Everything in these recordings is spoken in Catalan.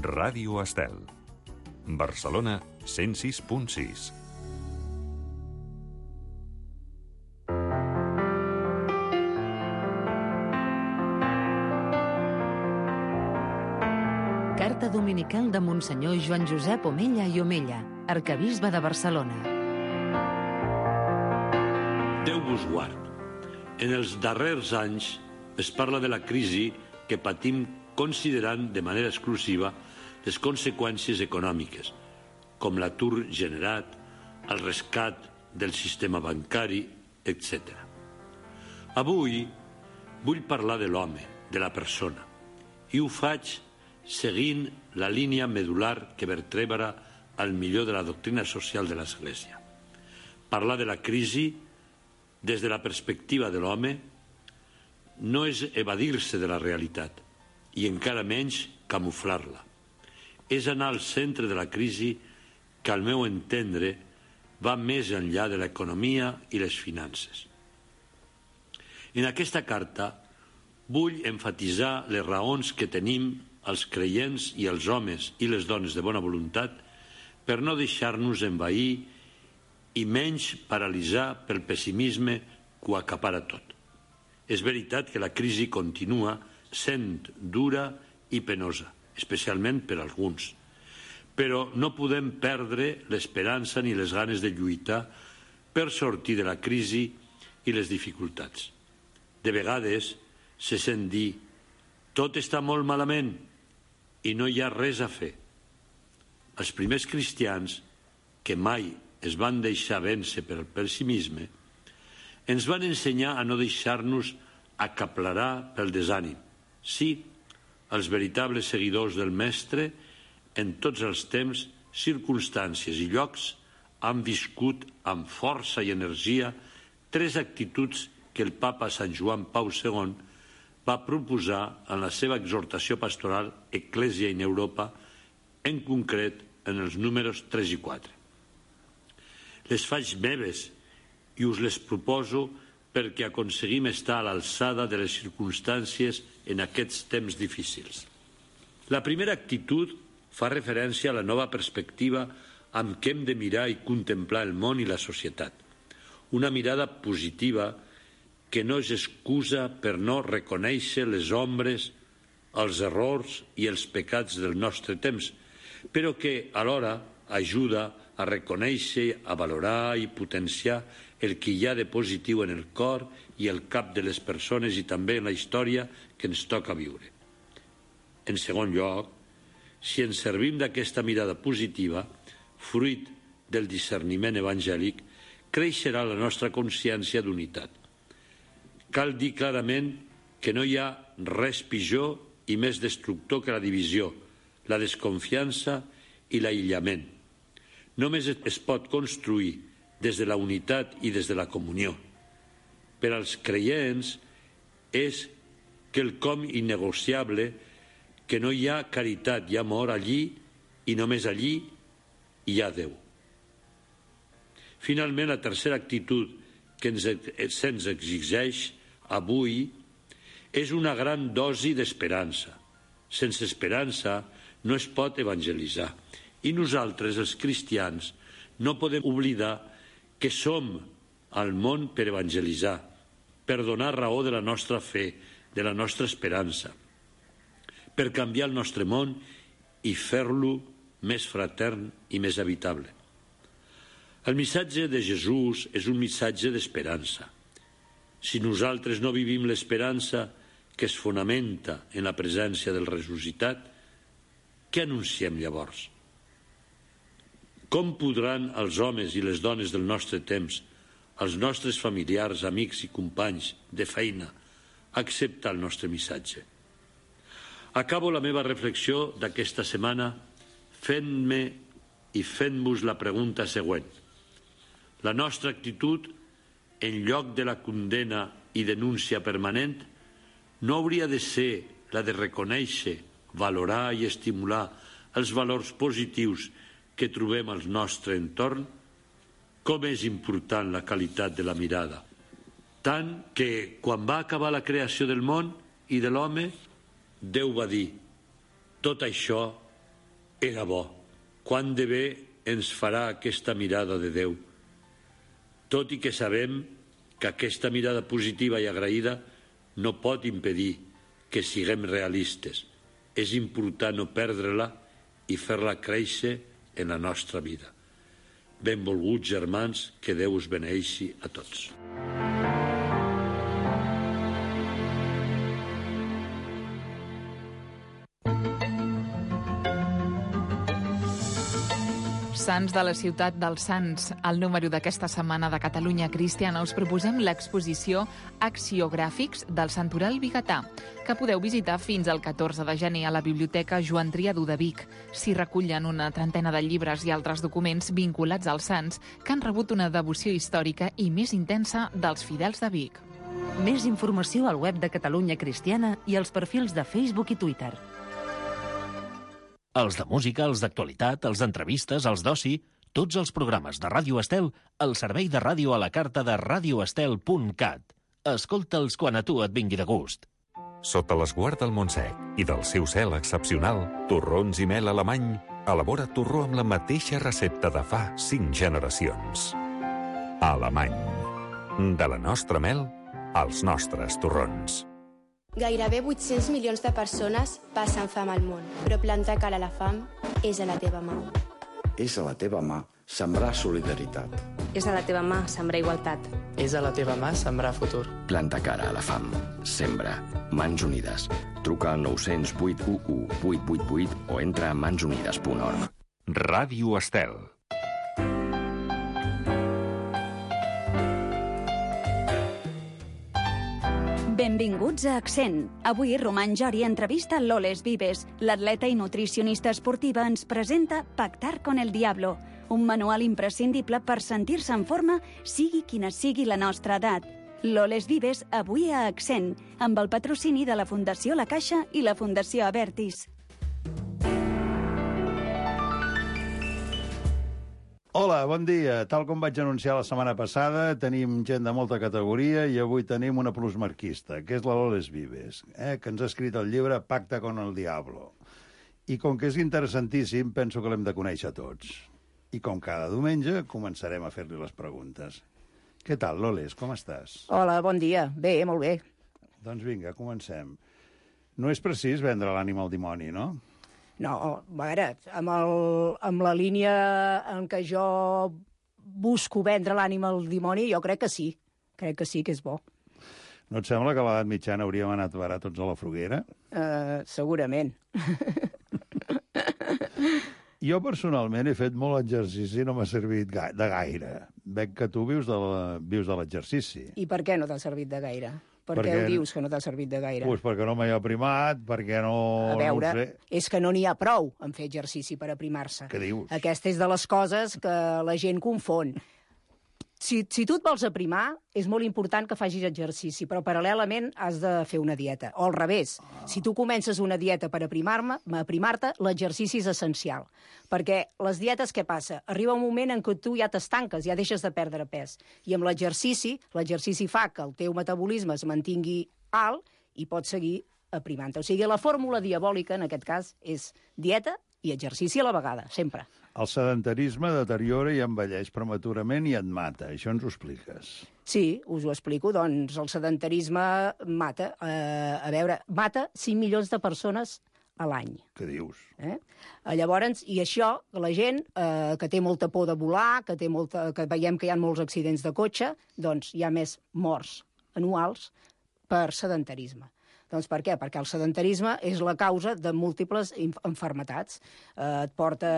Ràdio Estel. Barcelona 106.6. Carta dominical de Monsenyor Joan Josep Omella i Omella, arquebisbe de Barcelona. Déu vos guard. En els darrers anys es parla de la crisi que patim considerant de manera exclusiva les conseqüències econòmiques, com l'atur generat, el rescat del sistema bancari, etc. Avui vull parlar de l'home, de la persona, i ho faig seguint la línia medular que vertebra el millor de la doctrina social de l'Església. Parlar de la crisi des de la perspectiva de l'home no és evadir-se de la realitat i encara menys camuflar-la. És anar al centre de la crisi que, al meu entendre, va més enllà de l'economia i les finances. En aquesta carta vull emfatitzar les raons que tenim els creients i els homes i les dones de bona voluntat per no deixar-nos envair i menys paralitzar pel pessimisme que ho acapara tot. És veritat que la crisi continua sent dura i penosa, especialment per alguns, però no podem perdre l'esperança ni les ganes de lluitar per sortir de la crisi i les dificultats. De vegades se sent dir tot està molt malament i no hi ha res a fer. Els primers cristians, que mai es van deixar vèncer per el pessimisme, ens van ensenyar a no deixar-nos acaplerar pel desànim. Sí, els veritables seguidors del Mestre, en tots els temps, circumstàncies i llocs, han viscut amb força i energia 3 actituds que el papa Sant Joan Pau II va proposar en la seva exhortació pastoral Ecclesia in Europa, en concret en els números 3 i 4. Les faig meves i us les proposo perquè aconseguim estar a l'alçada de les circumstàncies en aquests temps difícils. La primera actitud fa referència a la nova perspectiva amb què hem de mirar i contemplar el món i la societat. Una mirada positiva que no és excusa per no reconèixer les ombres, els errors i els pecats del nostre temps, però que alhora ajuda a reconèixer, a valorar i potenciar el que hi ha de positiu en el cor i el cap de les persones i també en la història que ens toca viure. En segon lloc, si ens servim d'aquesta mirada positiva, fruit del discerniment evangèlic, creixerà la nostra consciència d'unitat. Cal dir clarament que no hi ha res pitjor i més destructor que la divisió, la desconfiança i l'aïllament. Només es pot construir des de la unitat i des de la comunió. Per als creients és quelcom innegociable que no hi ha caritat i amor allí i només allí hi ha Déu. Finalment, la tercera actitud que se'ns exigeix avui és una gran dosi d'esperança. Sense esperança no es pot evangelitzar. I nosaltres, els cristians, no podem oblidar que som al món per evangelitzar, per donar raó de la nostra fe, de la nostra esperança, per canviar el nostre món i fer-lo més fratern i més habitable. El missatge de Jesús és un missatge d'esperança. Si nosaltres no vivim l'esperança que es fonamenta en la presència del ressuscitat, què anunciem llavors? Com podran els homes i les dones del nostre temps, els nostres familiars, amics i companys de feina, acceptar el nostre missatge? Acabo la meva reflexió d'aquesta setmana fent-me i fent-vos la pregunta següent. La nostra actitud, en lloc de la condena i denúncia permanent, no hauria de ser la de reconèixer, valorar i estimular els valors positius que trobem al nostre entorn? Com és important la qualitat de la mirada. Tant que, quan va acabar la creació del món i de l'home, Déu va dir: tot això Era bo. Quant de bé ens farà aquesta mirada de Déu. Tot i que sabem que aquesta mirada positiva i agraïda no pot impedir que siguem realistes. És important no perdre-la i fer-la créixer en la nostra vida. Benvolguts germans, que Déu us beneeixi a tots. Sants de la ciutat dels Sants. Al número d'aquesta setmana de Catalunya Cristiana us proposem l'exposició Axiogràfics del Santoral Vigatà, que podeu visitar fins al 14 de gener a la Biblioteca Joan Triadú de Vic. S'hi recullen una trentena de llibres i altres documents vinculats als sants que han rebut una devoció històrica i més intensa dels fidels de Vic. Més informació al web de Catalunya Cristiana i als perfils de Facebook i Twitter. Els de música, els d'actualitat, els d'entrevistes, els d'oci, tots els programes de Ràdio Estel al servei de ràdio a la carta de radioestel.cat. Escolta'ls quan a tu et vingui de gust. Sota l'esguard del Montsec i del seu cel excepcional, Torrons i Mel Alemany elabora torró amb la mateixa recepta de fa 5 generacions. Alemany. De la nostra mel als nostres torrons. Gairebé 800 milions de persones passen fam al món, però plantar cara a la fam és a la teva mà. És a la teva mà sembrar solidaritat. És a la teva mà sembrar igualtat. És a la teva mà sembrar futur. Planta cara a la fam. Sembra. Mans Unides. Truca al 900 811 888 o entra a mansunides.org. Ràdio Estel. Benvinguts a Accent. Avui Roman Jori entrevista Loles Vives. L'atleta i nutricionista esportiva ens presenta Pactar con el Diablo, un manual imprescindible per sentir-se en forma, sigui quina sigui la nostra edat. Loles Vives, avui a Accent, amb el patrocini de la Fundació La Caixa i la Fundació Abertis. Hola, bon dia. Tal com vaig anunciar la setmana passada, tenim gent de molta categoria i avui tenim una plusmarquista, que és la Loles Vives, que ens ha escrit el llibre Pacta con el Diablo. I com que és interessantíssim, penso que l'hem de conèixer tots. I com cada diumenge, començarem a fer-li les preguntes. Què tal, Loles? Com estàs? Hola, bon dia. Bé, molt bé. Doncs vinga, comencem. No és precís vendre l'ànima al dimoni, no? No, a veure, amb la línia en què jo busco vendre l'ànima al dimoni, jo crec que sí. Crec que sí que és bo. No et sembla que a l'edat mitjana hauríem anat a parar tots a la foguera? Segurament. Jo personalment he fet molt exercici i no m'ha servit de gaire. Veig que tu vius de l'exercici. I per què no t'ha servit de gaire? Per què ho dius que no t'ha servit de gaire? Doncs perquè no m'hi ha aprimat, perquè no... A veure, no sé. És que no n'hi ha prou en fer exercici per aprimar-se. Què dius? Aquesta és de les coses que la gent confon. Si tu et vols aprimar, és molt important que facis exercici, però paral·lelament has de fer una dieta. O al revés, si tu comences una dieta per aprimar-te, l'exercici és essencial. Perquè les dietes, què passa? Arriba un moment en què tu ja t'estanques, ja deixes de perdre pes. I amb l'exercici fa que el teu metabolisme es mantingui alt i pots seguir aprimant-te. O sigui, la fórmula diabòlica, en aquest cas, és dieta i exercici a la vegada, sempre. El sedentarisme deteriora i envelleix prematurament i et mata. Això ens ho expliques. Sí, us ho explico. Doncs el sedentarisme mata. Mata 5 milions de persones a l'any. Què dius? Llavors, i això, la gent que té molta por de volar, que veiem que hi ha molts accidents de cotxe, doncs hi ha més morts anuals per sedentarisme. Doncs per què? Perquè el sedentarisme és la causa de múltiples malalties. Et porta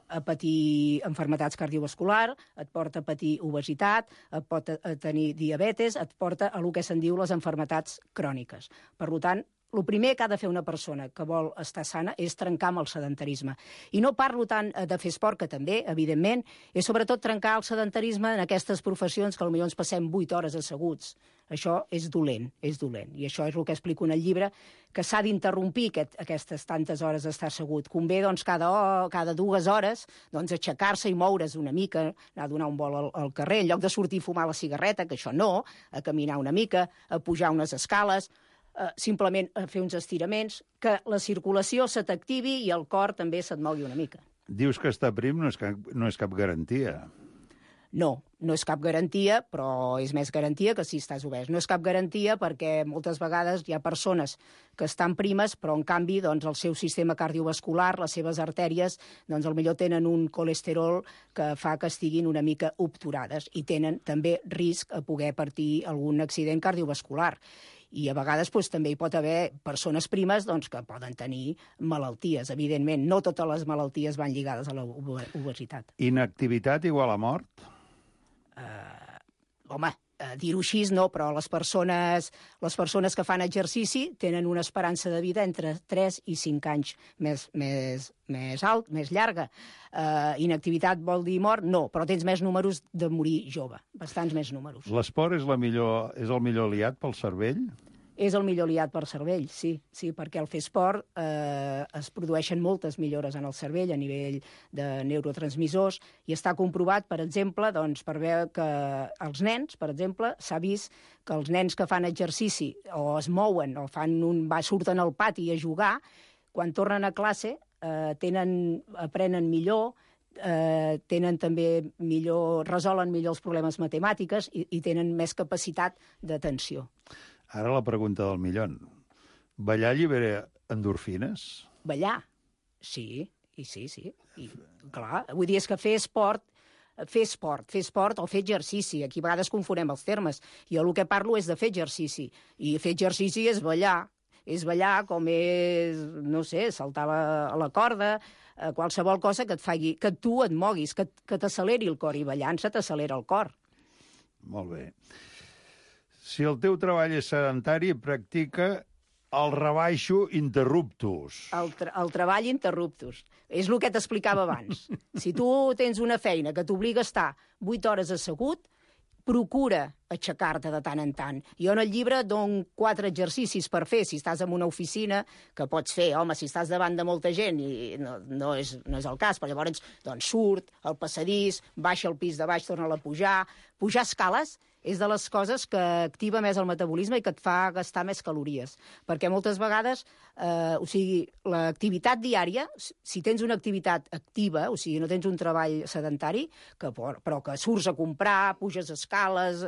a patir malalties cardiovasculars, et porta a patir obesitat, et pot tenir diabetes, et porta a el que se'n diu les malalties cròniques. Per tant, el primer que ha de fer una persona que vol estar sana és trencar amb el sedentarisme. I no parlo tant de fer esport, que també, evidentment, és sobretot trencar el sedentarisme en aquestes professions que potser ens passem 8 hores asseguts. Això és dolent, és dolent. I això és el que explico en el llibre, que s'ha d'interrompir aquestes tantes hores d'estar assegut. Convé, doncs, cada 2 hores, doncs, aixecar-se i moure's una mica, anar a donar un vol al carrer, en lloc de sortir a fumar la cigarreta, que això no, a caminar una mica, a pujar unes escales, simplement fer uns estiraments, que la circulació se t'activi i el cor també se't mogui una mica. Dius que estar prim no és cap garantia. No, no és cap garantia, però és més garantia que si estàs obès. No és cap garantia perquè moltes vegades hi ha persones que estan primes, però en canvi doncs, el seu sistema cardiovascular, les seves artèries, doncs potser tenen un colesterol que fa que estiguin una mica obturades i tenen també risc a poder patir algun accident cardiovascular. I a vegades doncs, també hi pot haver persones primes doncs, que poden tenir malalties. Evidentment, no totes les malalties van lligades a l'obesitat. Inactivitat igual a mort? Home, dir-ho així no, però les persones que fan exercici tenen una esperança de vida entre 3 i 5 anys més llarga. Inactivitat vol dir mort? No, però tens més números de morir jove, bastants més números. L'esport és el millor aliat pel cervell? És el millor aliat per cervell, sí, perquè al fer esport es produeixen moltes millores en el cervell a nivell de neurotransmissors i està comprovat, per exemple, doncs, per veure que els nens, per exemple, s'ha vist que els nens que fan exercici o es mouen o surten al pati a jugar, quan tornen a classe aprenen millor, tenen també resolen millor els problemes matemàtics i tenen més capacitat d'atenció. Ara la pregunta del millón. Ballar allibera endorfines? Ballar? Sí. I, clar, vull dir, és que fer esport o fer exercici. Aquí a vegades confonem els termes. Jo el que parlo és de fer exercici. I fer exercici és ballar. És ballar com és, no sé, saltar a la corda, qualsevol cosa que et faci, que tu et moguis, que t'acceleri el cor. I ballant se t'accelera el cor. Molt bé. Si el teu treball és sedentari, practica el rebaixo interruptus. El treball interruptus. És el que t'explicava abans. Si tu tens una feina que t'obliga a estar 8 hores assegut, procura aixecar-te de tant en tant. Jo en el llibre dono 4 exercicis per fer. Si estàs en una oficina, que pots fer, home, si estàs davant de molta gent, i no és el cas, però llavors doncs, surt al passadís, baixa al pis de baix, torna-la a pujar. Pujar escales és de les coses que activa més el metabolisme i que et fa gastar més calories. Perquè moltes vegades, l'activitat diària, si tens una activitat activa, o sigui, no tens un treball sedentari, però que surts a comprar, puges escales,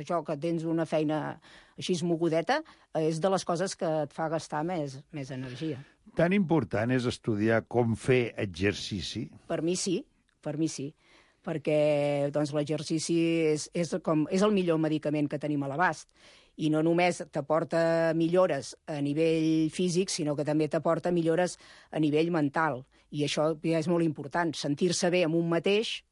això que tens una feina així mogudeta, és de les coses que et fa gastar més energia. Tan important és estudiar com fer exercici? Per mi sí. Perquè doncs, l'exercici és el millor medicament que tenim a l'abast. I no només t'aporta millores a nivell físic, sinó que també t'aporta millores a nivell mental. I això ja és molt important. Sentir-se bé amb un mateix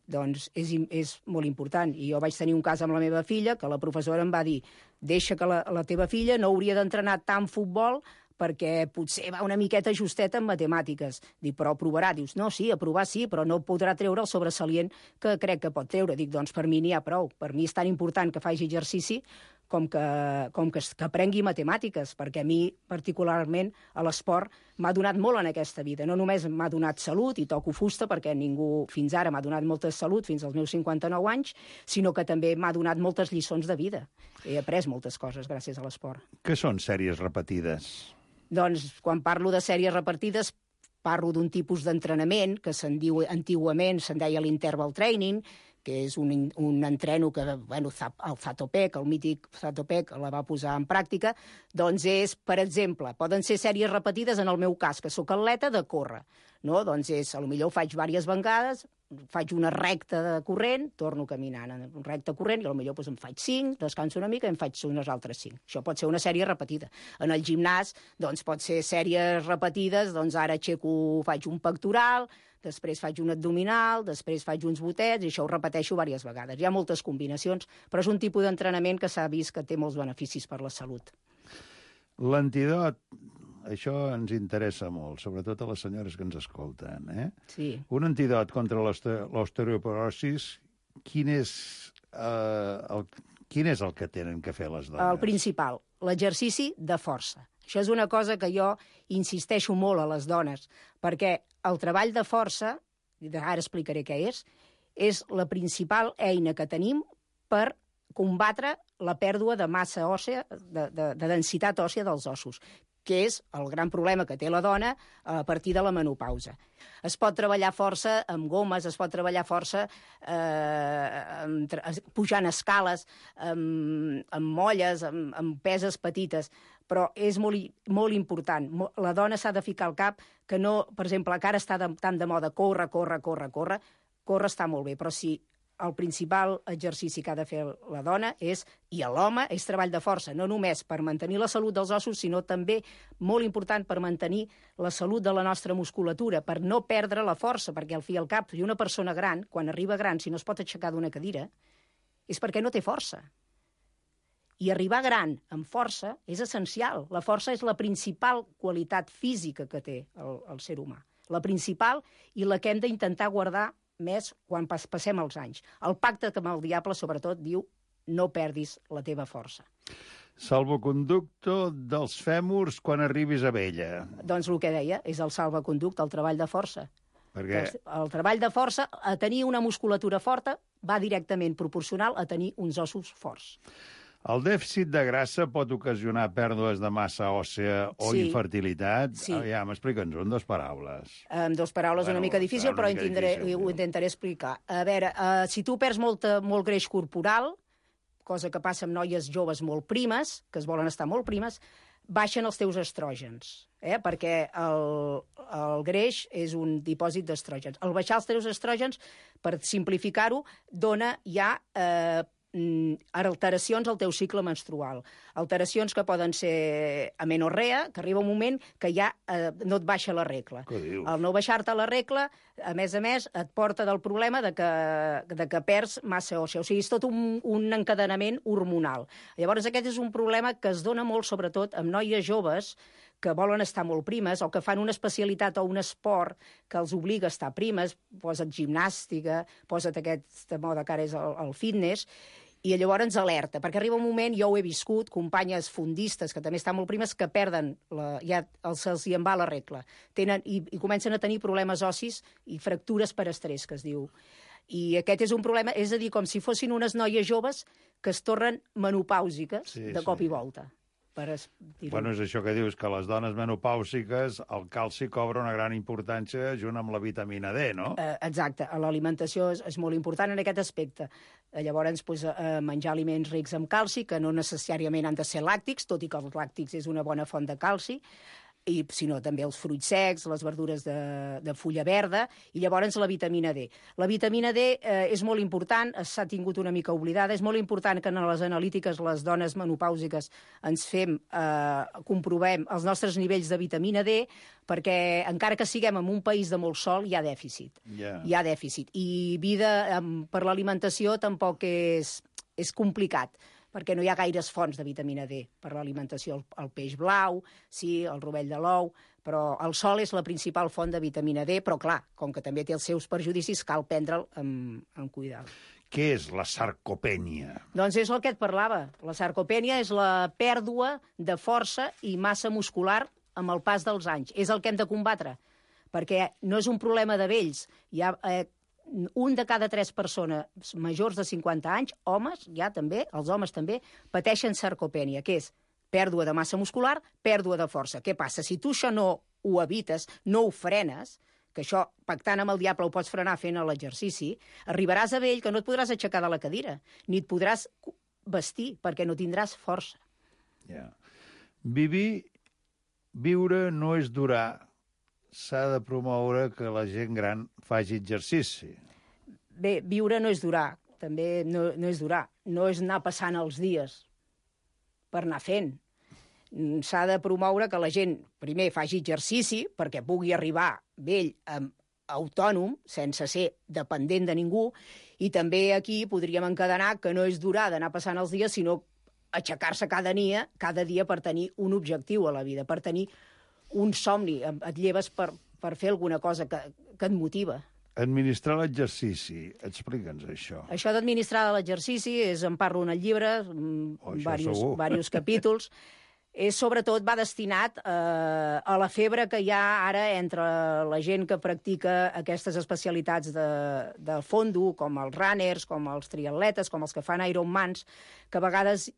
doncs és molt important. I jo vaig tenir un cas amb la meva filla, que la professora em va dir: deixa que la teva filla no hauria d'entrenar tant futbol perquè potser va una miqueta justeta en matemàtiques. Dic, però provarà. Dius, no, sí, a provar sí, però no podrà treure el sobresalient que crec que pot treure. Dic, doncs per mi n'hi ha prou. Per mi és tan important que faci exercici com que aprengui matemàtiques, perquè a mi, particularment, a l'esport m'ha donat molt en aquesta vida. No només m'ha donat salut, i toco fusta, perquè ningú fins ara m'ha donat molta salut, fins als meus 59 anys, sinó que també m'ha donat moltes lliçons de vida. He après moltes coses gràcies a l'esport. Què són sèries repetides? Doncs, quan parlo de sèries repetides, parlo d'un tipus d'entrenament que antigament se'n deia l'interval training, que és un entreno que, el Zatopek, el mític Zatopek, la va posar en pràctica, doncs és, per exemple, poden ser sèries repetides, en el meu cas, que sóc atleta, de córrer. No? Doncs potser ho faig diverses vegades, faig una recta de corrent, torno caminant en un recte corrent, i potser em faig 5, descanso una mica i em faig unes altres 5. Això pot ser una sèrie repetida. En el gimnàs, doncs, pot ser sèries repetides, doncs ara faig un pectoral, després faig un abdominal, després faig uns botets, i això ho repeteixo diverses vegades. Hi ha moltes combinacions, però és un tipus d'entrenament que s'ha vist que té molts beneficis per la salut. L'antidot, això ens interessa molt, sobretot a les senyores que ens escolten. Sí. Un antidot contra l'osteoporosis, quin és el que tenen que fer les dones? El principal, l'exercici de força. Això és una cosa que jo insisteixo molt a les dones, perquè el treball de força, ara explicaré què és la principal eina que tenim per combatre la pèrdua de massa òssea, de densitat òssea dels ossos, que és el gran problema que té la dona a partir de la menopausa. Es pot treballar força amb gomes, es pot treballar força pujant escales, amb molles, amb peses petites, però és molt important. La dona s'ha de ficar al cap que no, per exemple, que ara està tan de moda córrer està molt bé, però si el principal exercici que ha de fer la dona i l'home és treball de força, no només per mantenir la salut dels ossos, sinó també, molt important, per mantenir la salut de la nostra musculatura, per no perdre la força, perquè al fi i al cap, i una persona gran, quan arriba gran, si no es pot aixecar d'una cadira, és perquè no té força. I arribar gran amb força és essencial. La força és la principal qualitat física que té el ser humà. La principal i la que hem d'intentar guardar més quan passem els anys. El pacte amb el diable, sobretot, diu no perdis la teva força. Salvoconducto dels fèmurs quan arribis a vella. Doncs el que deia, és el salvoconducte, el treball de força. Perquè el treball de força, a tenir una musculatura forta, va directament proporcional a tenir uns ossos forts. El dèficit de grassa pot ocasionar pèrdues de massa òssea o infertilitat? Sí. Ja, m'explica'ns-ho en 2 paraules. En 2 paraules una mica difícil, però ho intentaré explicar. A veure, si tu perds molt greix corporal, cosa que passa amb noies joves molt primes, que es volen estar molt primes, baixen els teus estrògens, perquè el greix és un dipòsit d'estrògens. Al baixar els teus estrògens, per simplificar-ho, dona ja alteracions al teu cicle menstrual. Alteracions que poden ser amenorrea, que arriba un moment que ja no et baixa la regla. El no baixar-te la regla, a més, et porta del problema de que perds massa òssea. O sigui, és tot un encadenament hormonal. Llavors, aquest és un problema que es dona molt, sobretot, amb noies joves que volen estar molt primes o que fan una especialitat o un esport que els obliga a estar primes, posa't gimnàstica, posa't aquesta moda que ara és el fitness, i llavors ens alerta, perquè arriba un moment, jo ho he viscut, companyes fondistes que també estan molt primes, que perden, ja se'ls en va la regla, i comencen a tenir problemes ossis i fractures per estrès, que es diu. I aquest és un problema, és a dir, com si fossin unes noies joves que es tornen menopàusiques de cop i volta. Bueno, és això que dius, que les dones menopàusiques, el calci cobra una gran importància junt amb la vitamina D, no? Exacte, l'alimentació és molt important en aquest aspecte. Llavors, menjar aliments rics en calci, que no necessàriament han de ser làctics, tot i que els làctics és una bona font de calci, i sinó també els fruits secs, les verdures de fulla verda, i llavors la vitamina D. La vitamina D és molt important, s'ha tingut una mica oblidada, és molt important que en les analítiques les dones menopàusiques ens comprovem els nostres nivells de vitamina D, perquè encara que siguem en un país de molt sol, hi ha dèficit. Hi ha dèficit. I vida per l'alimentació tampoc és complicat, perquè no hi ha gaires fonts de vitamina D per l'alimentació. El peix blau, sí, el rovell de l'ou, però el sol és la principal font de vitamina D, però clar, com que també té els seus perjudicis, cal prendre'l amb cuidado. Què és la sarcopènia? Doncs és el que et parlava. La sarcopènia és la pèrdua de força i massa muscular amb el pas dels anys. És el que hem de combatre, perquè no és un problema de vells. Hi ha un de cada 3 persones majors de 50 anys, homes, ja també, els homes també, pateixen sarcopènia, que és pèrdua de massa muscular, pèrdua de força. Què passa? Si tu això no ho evites, no ho frenes, que això, pactant amb el diable, ho pots frenar fent l'exercici, arribaràs a vell que no et podràs aixecar de la cadira, ni et podràs vestir, perquè no tindràs força. Viure no és durar. S'ha de promoure que la gent gran faci exercici. Bé, viure no és durar, també no és durar. No és anar passant els dies per anar fent. S'ha de promoure que la gent, primer, faci exercici perquè pugui arribar vell autònom, sense ser dependent de ningú, i també aquí podríem encadenar que no és durar d'anar passant els dies, sinó aixecar-se cada dia per tenir un objectiu a la vida, per tenir un somni, et lleves per fer alguna cosa que et motiva. Administrar l'exercici, explica'ns això. Això d'administrar l'exercici en parlo en el llibre, diversos capítols. sobretot va destinat a la febre que hi ha ara entre la gent que practica aquestes especialitats de fondo, com els runners, com els triatletes, com els que fan Ironmans, que a vegades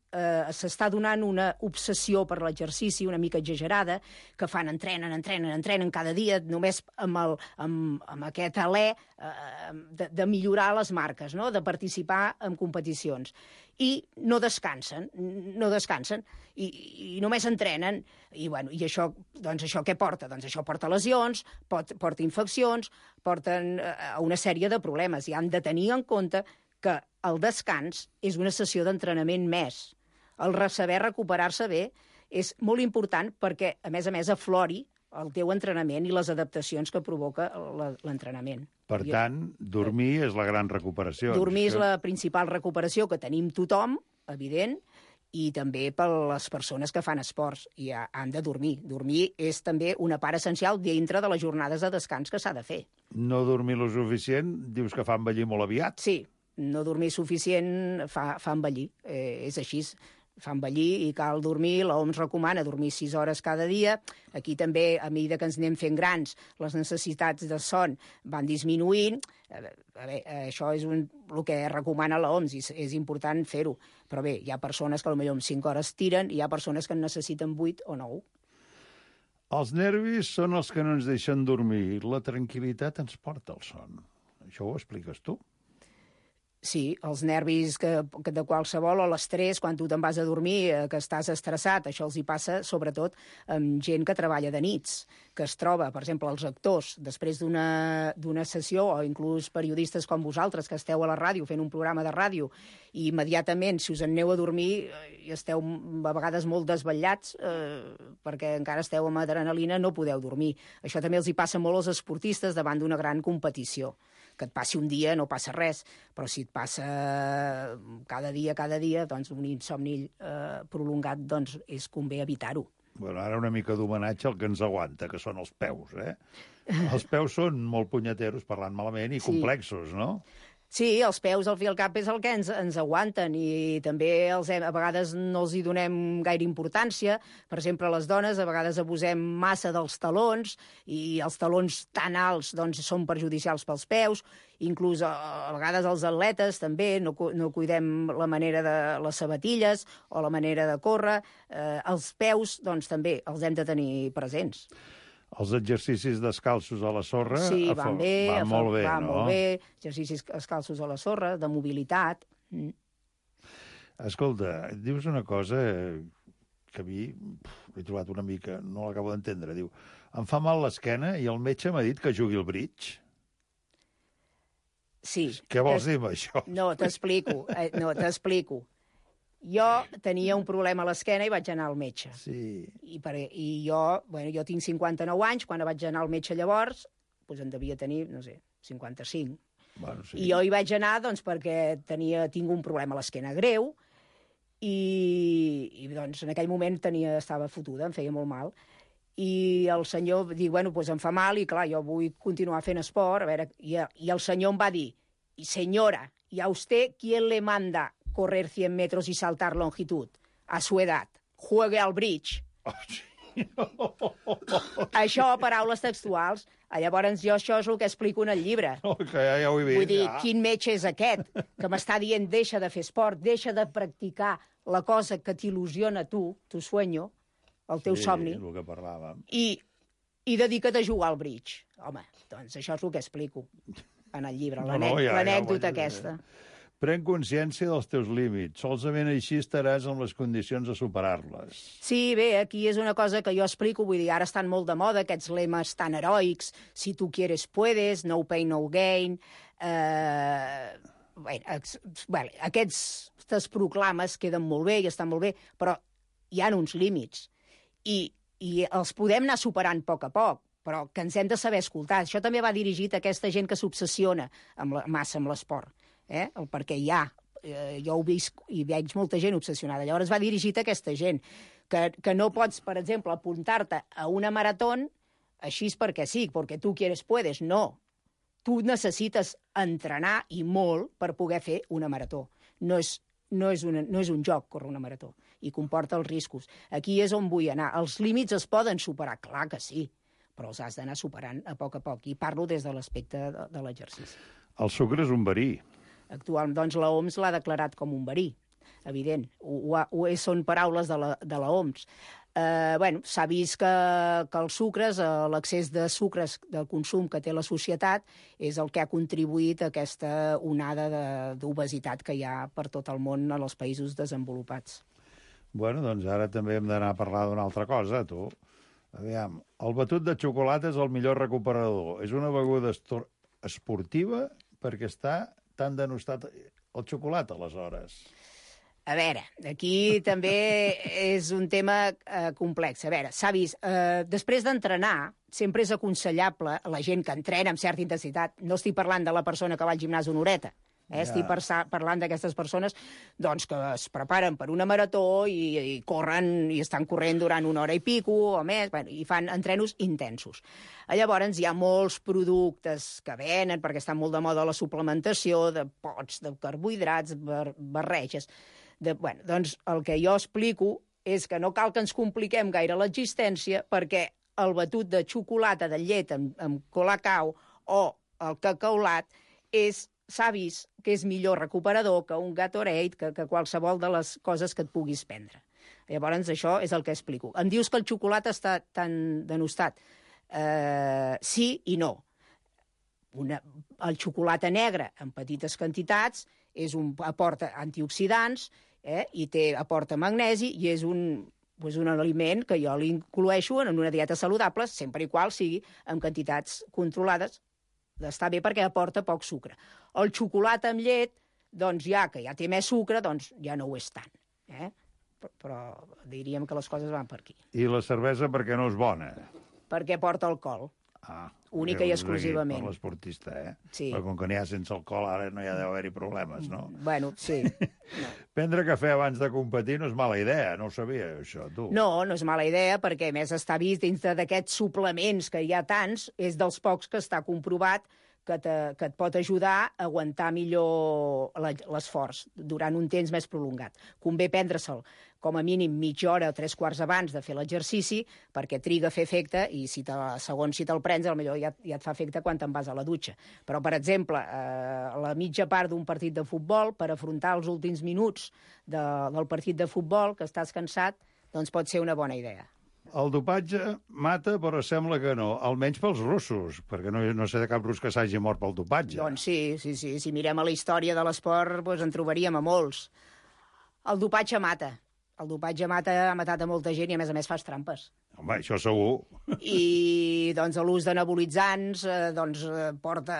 s'està donant una obsessió per l'exercici una mica exagerada, que entrenen cada dia, només amb aquest alè de millorar les marques, no? De participar en competicions. I no descansen, i només entrenen. I això què porta? Doncs això porta lesions, porta infeccions, porten a una sèrie de problemes. I han de tenir en compte que el descans és una sessió d'entrenament més. El saber recuperar-se bé és molt important perquè, a més, aflori el teu entrenament i les adaptacions que provoca l'entrenament. Per tant, dormir és la gran recuperació. Dormir és la principal recuperació que tenim tothom, evident, i també per les persones que fan esports i han de dormir. Dormir és també una part essencial dintre de les jornades de descans que s'ha de fer. No dormir lo suficient, dius que fa envellir molt aviat? Sí, no dormir suficient fa envellir, és així. Fa envellir i cal dormir, l'OMS recomana dormir 6 hores cada dia. Aquí també, a mesura que ens anem fent grans, les necessitats de son van disminuint. Això és el que recomana l'OMS i és important fer-ho. Però bé, hi ha persones que potser amb 5 hores tiren i hi ha persones que en necessiten 8 o 9. Els nervis són els que no ens deixen dormir. La tranquil·litat ens porta al son. Això ho expliques tu? Sí, els nervis de qualsevol, o l'estrès, quan tu te'n vas a dormir, que estàs estressat, això els hi passa sobretot amb gent que treballa de nits, que es troba, per exemple, els actors, després d'una sessió, o inclús periodistes com vosaltres, que esteu a la ràdio fent un programa de ràdio, i immediatament, si us en aneu a dormir, i esteu a vegades molt desvetllats, perquè encara esteu amb adrenalina, no podeu dormir. Això també els hi passa molt als esportistes davant d'una gran competició. Que et passi un dia no passa res, però si et passa cada dia, doncs un insomni prolongat, doncs convé evitar-ho. Bueno, ara una mica d'homenatge al que ens aguanta, que són els peus, eh? Els peus són molt punyeteros, parlant malament, i complexos, no? Sí, els peus, al fi i al cap, és el que ens aguanten i també a vegades no els hi donem gaire importància. Per exemple, les dones a vegades abusem massa dels talons i els talons tan alts doncs, són perjudicials pels peus. Inclús a vegades els atletes també no cuidem la manera de les sabatilles o la manera de córrer. Els peus doncs, també els hem de tenir presents. Els exercicis descalços a la sorra van molt bé, no? Molt bé, exercicis descalços a la sorra, de mobilitat. Escolta, dius una cosa que a mi he trobat una mica, no l'acabo d'entendre. Diu, em fa mal l'esquena i el metge m'ha dit que jugui al bridge. Sí. Què vols dir amb això? No, t'explico. Jo tenia un problema a l'esquena i vaig anar al metge. Sí. I jo tinc 59 anys, quan vaig anar al metge llavors, doncs en devia tenir, no sé, 55. Bueno, sí. I jo hi vaig anar doncs, perquè tinc un problema a l'esquena greu i doncs, en aquell moment estava fotuda, em feia molt mal. I el senyor diu, bueno, doncs em fa mal i clar, jo vull continuar fent esport. I el senyor em va dir, senyora, ¿y a usted quién le manda correr 100 metros y saltar longitud? A su edad. Juegue al bridge. Oh, sí. Això, paraules textuals. Llavors, jo això és el que explico en el llibre. Ja ho he vist. Vull dir, quin metge és aquest que m'està dient deixa de fer esport, deixa de practicar la cosa que t'il·lusiona tu sueño, el teu somni, el que parlàvem. I dedica't a jugar al bridge. Home, doncs això és el que explico en el llibre, l'anècdota aquesta. Pren consciència dels teus límits. Solament així estaràs en les condicions de superar-les. Sí, bé, aquí és una cosa que jo explico, vull dir, ara estan molt de moda aquests lemes tan heroics, si tu quieres puedes, no pain, no gain. Aquestes proclames queden molt bé i estan molt bé, però hi ha uns límits. I els podem anar superant a poc, però que ens hem de saber escoltar. Això també va dirigit a aquesta gent que s'obsessiona massa amb l'esport. Perquè jo ho visc i veig molta gent obsessionada. Llavors va dirigit a aquesta gent, que no pots, per exemple, apuntar-te a una marató així perquè sí, perquè tu quieres puedes. No, tu necessites entrenar i molt per poder fer una marató. No és un joc córrer una marató. i comporta els riscos. Aquí és on vull anar. Els límits es poden superar, clar que sí, però els has d'anar superant a poc, i parlo des de l'aspecte de l'exercici. El sucre és un verí. Actualment, doncs, l'OMS l'ha declarat com un verí, evident. Són paraules de l'OMS. S'ha vist que els sucres, l'excés de sucres del consum que té la societat és el que ha contribuït a aquesta onada d'obesitat que hi ha per tot el món en els països desenvolupats. Bueno, doncs ara també hem d'anar a parlar d'una altra cosa, tu. Aviam, el batut de xocolata és el millor recuperador. És una beguda esportiva perquè està tan denostat el xocolata, aleshores. A veure, aquí també és un tema complex. A veure, s'ha vist, després d'entrenar, sempre és aconsellable a la gent que entrena amb certa intensitat. No estic parlant de la persona que va al gimnàs una horeta, estic parlant d'aquestes persones doncs, que es preparen per una marató i corren i estan corrent durant una hora i pico o més, i fan entrenos intensos. Llavors hi ha molts productes que venen perquè estan molt de moda la suplementació de pots, de carbohidrats, barreges. Doncs el que jo explico és que no cal que ens compliquem gaire l'existència perquè el batut de xocolata de llet amb colacao o el cacaulat s'ha vist que és millor recuperador que un Gatorade, que qualsevol de les coses que et puguis prendre. Llavors, això és el que explico. Em dius que el xocolata està tan denostat. Sí i no. El xocolata negre en petites quantitats aporta antioxidants i aporta magnesi i és un aliment que jo l'incloeixo en una dieta saludable sempre i qual sigui en quantitats controlades. Està bé perquè aporta poc sucre. El xocolata amb llet, doncs que ja té més sucre, doncs ja no ho és tant. Però diríem que les coses van per aquí. I la cervesa perquè no és bona? Perquè porta alcohol. Única i exclusivament. Per l'esportista, Sí. Però com que n'hi ha sense alcohol, ara no hi ha d'haver-hi problemes, no? Bueno, sí. Prendre cafè abans de competir no és mala idea, no ho sabia, això, tu. No és mala idea, perquè a més està vist dins d'aquests suplements que hi ha tants, és dels pocs que està comprovat que et pot ajudar a aguantar millor l'esforç durant un temps més prolongat. Convé prendre-se'l com a mínim mitja hora o 3/4 abans de fer l'exercici, perquè triga a fer efecte i segons si te'l prens, potser ja et fa efecte quan te'n vas a la dutxa. Però, per exemple, a la mitja part d'un partit de futbol, per afrontar els últims minuts del partit de futbol, que estàs cansat, doncs pot ser una bona idea. El dopatge mata, però sembla que no, almenys pels russos, perquè no sé de cap rus que s'hagi mort pel dopatge. Doncs sí. Si mirem a la història de l'esport, en trobaríem a molts. El dopatge mata. El dopatge ha matat a molta gent i, a més, fas trampes. Home, això segur. I doncs, l'ús de nebulitzants porta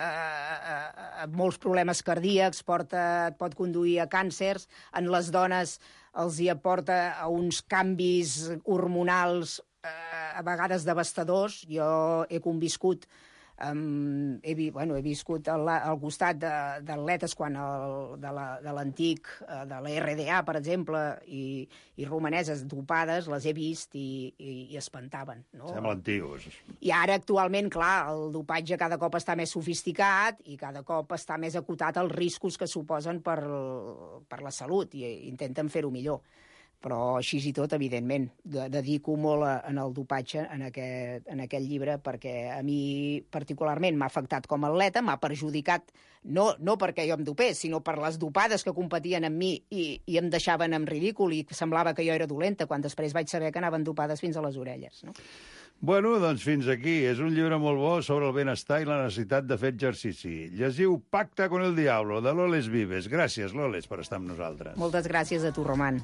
a molts problemes cardíacs, et pot conduir a càncers. En les dones els hi aporta a uns canvis hormonals a vegades devastadors. Jo he conviscut he viscut al costat d'atletes de l'antic, de la RDA, per exemple, i romaneses dopades, les he vist i espantaven. No? Semblen tios. I ara, actualment, clar, el dopatge cada cop està més sofisticat i cada cop està més acotat als riscos que suposen per la salut i intenten fer-ho millor. Però així i tot, evidentment, dedico molt en el dopatge en aquest llibre perquè a mi particularment m'ha afectat com a atleta, m'ha perjudicat, no perquè jo em dopés, sinó per les dopades que competien amb mi i em deixaven en ridícul i semblava que jo era dolenta, quan després vaig saber que anaven dopades fins a les orelles. No? Bueno, doncs fins aquí. És un llibre molt bo sobre el benestar i la necessitat de fer exercici. Llegiu Pacta con el Diablo, de Loles Vives. Gràcies, Loles, per estar amb nosaltres. Moltes gràcies a tu, Roman.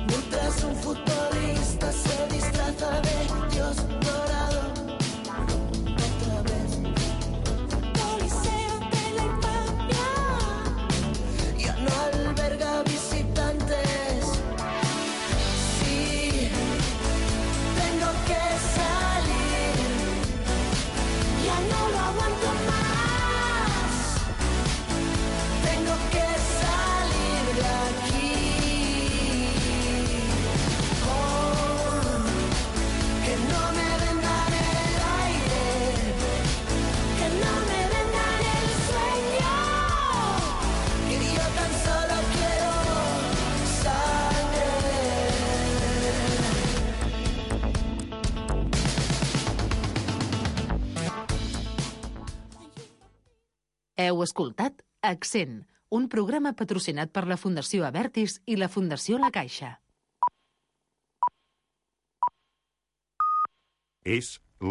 Mientras un futbolista se disfraza de Dios dorado, otra vez Coliseo de la infamia ya no alberga visitantes. Sí, tengo que salir, ya no lo aguanto más. Tengo que salir de aquí. Heu escoltat Accent, un programa patrocinat per la Fundació Abertis i la Fundació La Caixa. És